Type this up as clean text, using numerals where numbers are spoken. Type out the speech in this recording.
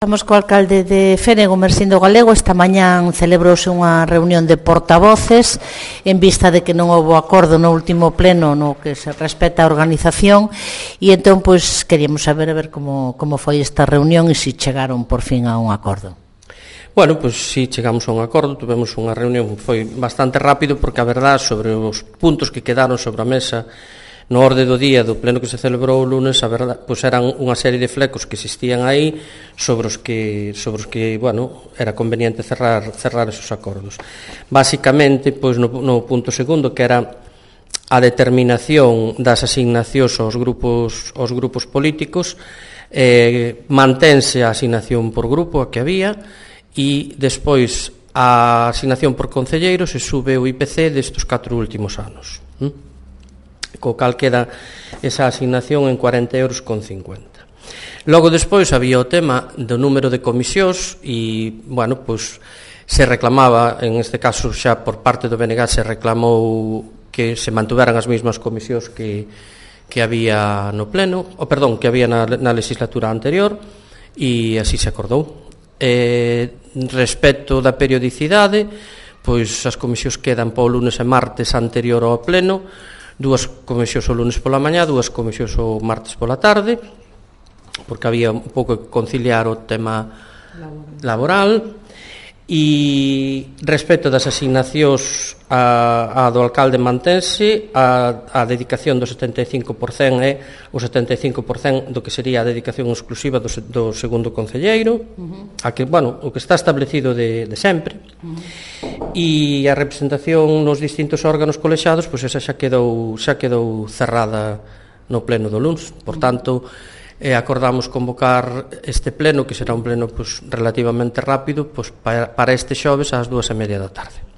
Estamos co alcalde de Fénego, Mersindo Galego. Esta mañán celebrouse unha reunión de portavoces en vista de que non houbo acordo no último pleno no que se respecta a organización, e entón pois queríamos saber a ver como foi esta reunión e se chegaron por fin a un acordo. Bueno, pois si chegamos a un acordo, tuvemos unha reunión, foi bastante rápido porque a verdade sobre os puntos que quedaron sobre a mesa no orde do día do pleno que se celebrou o lunes, a verdade, pois eran unha serie de flecos que existían aí sobre os que bueno, era conveniente cerrar esos acordos. Básicamente, pois no punto segundo, que era a determinación das asignacións aos grupos políticos, mantense a asignación por grupo a que había, e despois a asignación por concelleiro se sube o IPC destes 4 últimos anos. Co cal queda esa asignación en 40,50 euros. Logo despois había o tema do número de comisións e, bueno, pois se reclamaba, en este caso xa por parte do BNG se reclamou que se mantuveran as mesmas comisións que había no pleno, que había na legislatura anterior, e así se acordou. Respecto da periodicidade, pois as comisións quedan para o lunes e martes anterior ao pleno, 2 comisións o lunes pola mañá, 2 comisións o martes pola tarde, porque había un pouco que conciliar o tema laboral. E respecto das asignacións a do alcalde mantense, a dedicación do 75% é o 75% do que sería a dedicación exclusiva do segundo concelleiro, a que, bueno, o que está establecido de sempre. E a representación nos distintos órganos colexiados, pois esa xa quedou cerrada no pleno do luns. Por tanto, acordamos convocar este pleno, que será un pleno pois relativamente rápido, pois para este xoves ás 2:30 da tarde.